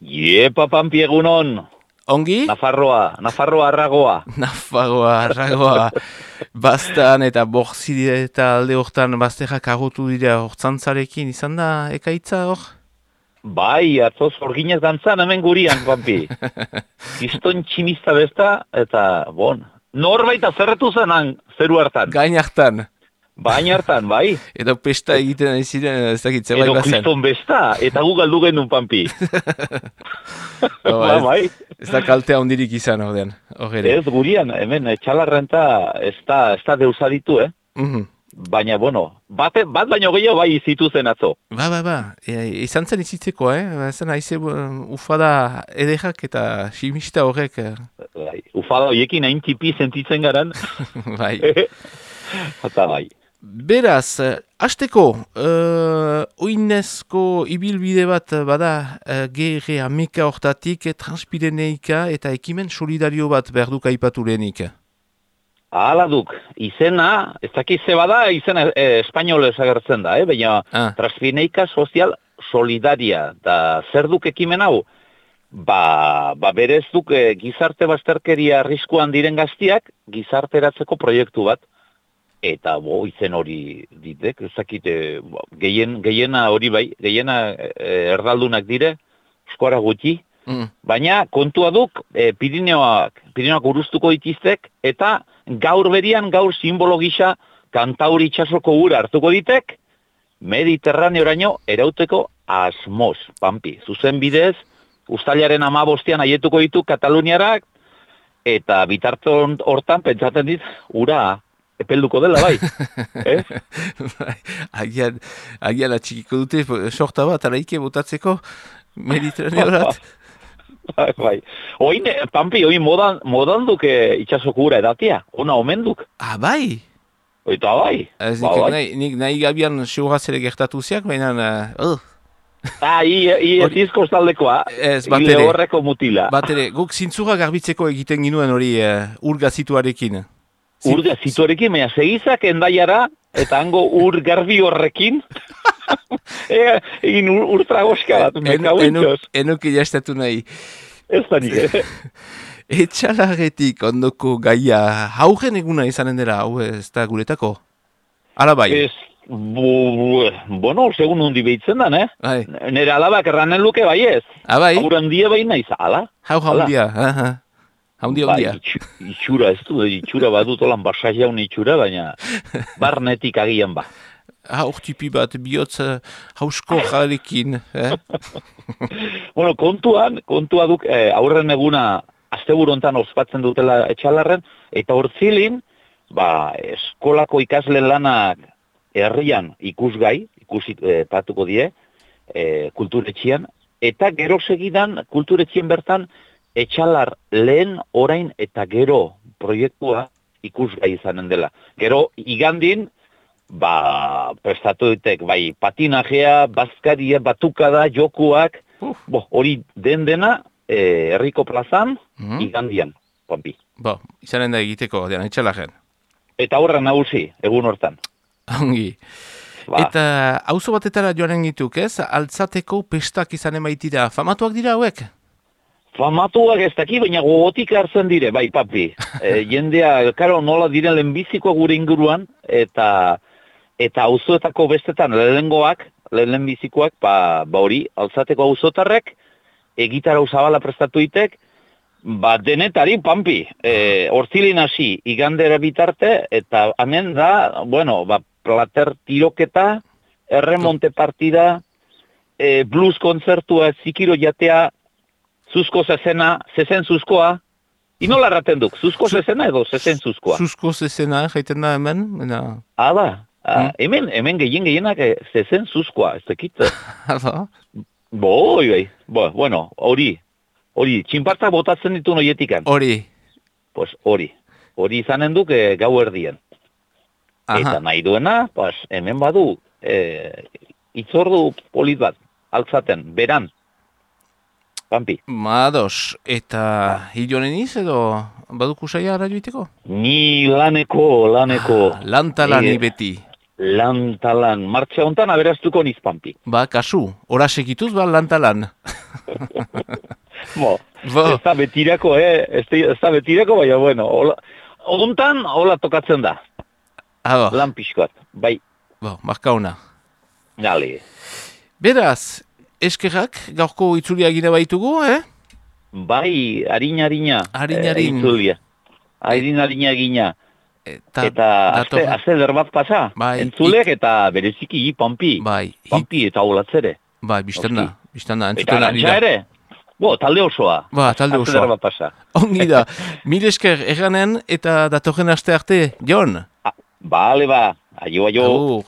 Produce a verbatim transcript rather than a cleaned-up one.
Iepa, Pampi, egunon. Ongi? Nafarroa, Nafarroa arragoa. Nafarroa arragoa. Bastan eta borzide eta alde hortan bazterrak agotu dira hortzantzarekin izan da ekaitza hor? Bai, atzoz orginez dantzan hemen gurian, Pampi. Kiston tximista besta, eta, bon, norbait azerretu zenan, zeru hartan. Gain hartan. Baina hartan, bai. Edo pesta egiten ari ziren, ez dakit, zerbait Edo bazen. kriston besta, eta gu galdu genuen, Pampi. Oh, ba, ez, bai. ez da kaltea hondirik izan ordean, hor ere. Ez gurian, hemen, txalarrenta ez da, ez da deusaditu, eh? Mhm. Baina, bueno, bat, bat baino gehiago bai izitu zen atzo. Ba, ba, ba, e, izan zen izitzeko, eh? Ezen haize ufada edekak eta simista horrek. eh. Bai, ufada hoiekin hain tipi sentitzen garan. Bai. Eta bai. Beraz, eh, hasteko, uh, oinezko ibilbide bat bada uh, G R ameka hortatik eh, Transpireneika eta ekimen solidario bat behar duk aipatu lehenik. Hala duk, izena, ez dakiz ze bada, izena eh, espainolez agertzen da, eh? Baina Ah. Transpireneika Sozial Solidaria, da zer duk ekimen hau? Ba, ba berez duk eh, gizarte bazterkeria arriskuan diren gaztiak gizarteratzeko proiektu bat. Eta bo, izen hori ditek, ez dakit, eh, bo, gehien, gehiena hori bai, gehiena eh, erdaldunak dire, eskora gutxi, Mm. baina kontua duk eh, Pirineoak, Pirineoak uruztuko ditiztek, eta gaur berian, gaur simbolo gisa, Kantauri itsasoko ura hartuko ditek, Mediterraneoraino erauteko asmoz, Pampi. Zuzen bidez, uztailaren hamabostean aietuko ditu Kataluniarak, eta bitarton hortan pentsatzen dit, ura epelduko dela, bai. eh? Bai, agian, agian atxikiko dute sorta bat, araike botatzeko Mediterraneorat. Bai, bai. Oin, eh, Pampi, oin modan, modan duke itxasoko ura edatia, ona omen duk. Ah, bai? Oita bai. Ez Ba, nik, bai. nahi, nik nahi gabian seuraz ere gertatu ziak, baina... Uh, Ah, i, i ez izko taldekoa, Ez, bat hile ere. horreko mutila. bat ere, guk zintzura garbitzeko egiten ginuen hori uh, urgazituarekin. Zin- Ur zituarekin, baina segizak endaiara, eta hango ur garbi horrekin, e, egin ur, urtragoska bat, En- meka enu- huitxos. Enuk ilastatu nahi. Ez da nik, eh? Etxalarretik ondoko gaia haugen eguna izanen dela, hau ez da guretako? Hala bai. Ez, bu, bu, bueno, segun hundi behitzen dan, eh? Bai. Nere alabak erranen luke bai ez. Ah, bai? Haur handia bai naiz, ala? Hau Hala. jaundia. aha. Jaundia, Bai, jaundia. itxu- itxura, ez du, itxura badut olan basa jaun itxura, baina barnetik agian ba. Haur tipi bat, bihotz uh, hausko jarekin. Eh? Bueno, kontuan, kontua duk, eh, aurren eguna asteburu hontan ospatzen dutela etxalarren, eta hortzilin, ba, eskolako ikasle lanak herrian ikusgai, ikusi eh, patuko die, eh, kulturetxian, eta gero segidan kulturetxien bertan etxalar lehen, orain eta gero proiektua ikusgai izanen dela. Gero igandin, ba, prestatu ditek, bai, patinajea, bazkaria, batukada, jokuak, bo, hori den dena, eh, herriko plazan, Mhm. igandian, Pampi. Bo, izanen da egiteko, dean, etxalarren. Eta horra nagusi, egun hortan. Ongi. Ba, Eta auzo batetara joanen gituk, ez? Altzateko pestak izanen baitira. Famatuak dira hauek? famatuak ez daki, baina gogotik hartzen dire, bai, Papi. E, jendea, karo, nola diren lehenbizikoa gure inguruan, eta eta auzoetako bestetan lehengoak, lehenbizikoak, ba, ba hori, altzateko auzotarrek, egitarau zabala prestatu ditek, ba, denetari, Pampi, e, hortzilin hasi, igandera bitarte, eta hemen da, bueno, ba, plater tiroketa, erremonte partida, e, blues kontzertua, zikiro jatea, zuzko zezena, zezen zuzkoa, inola erraten duk, zuzko zezena edo zezen zuzkoa? Zuzko zezena, jaiten da hemen? Baina... Ah, ba, ah, Mm. hemen, hemen gehien gehienak eh, zezen zuzkoa, ez dakit. Hala? Bo, oi, oi, bo, bueno, hori, hori, txinpartak botatzen ditu noietikan. Hori. Pues hori, hori izanen duk eh, gau erdien. Eta Aha. nahi duena, pues, hemen badu, eh, itzordu polit bat, altzaten, beran. Pampi. Mados, eta hilonen iz edo baduku saia ara joiteko? Ni laneko, laneko. Ah, lantalani Eh, beti. Lantalan, martxa hontan aberaztuko niz, Pampi. Ba, kasu, ora segituz ba lantalan. Bo, Bo. ez da betirako, eh? Ez da, ez da betirako, baina, bueno, hola, ontan, hola tokatzen da. Ah, bo. Lan pixkoat, bai, Bo, marka ona. gali. Beraz, eskerrak, gaurko itzulia gine baitugu, eh? Bai, harina, harina. Harin, harin. Eh, itzulia. Harin, harina gina. Eta, Eta azte, dator- azte eder bat pasa. Bai, Entzulek eta bereziki hi pampi. Bai, hit, Pampi eta olatzere. bai, bizten da, bizten da, Eta entzuten ari arantxa da. ere. Bo, talde osoa. Ba, talde Azte eder osoa. bat pasa. Ongi da, mil esker erranen eta datorren aste arte, Jon. Ah, bale ba, aio, aio. Agur.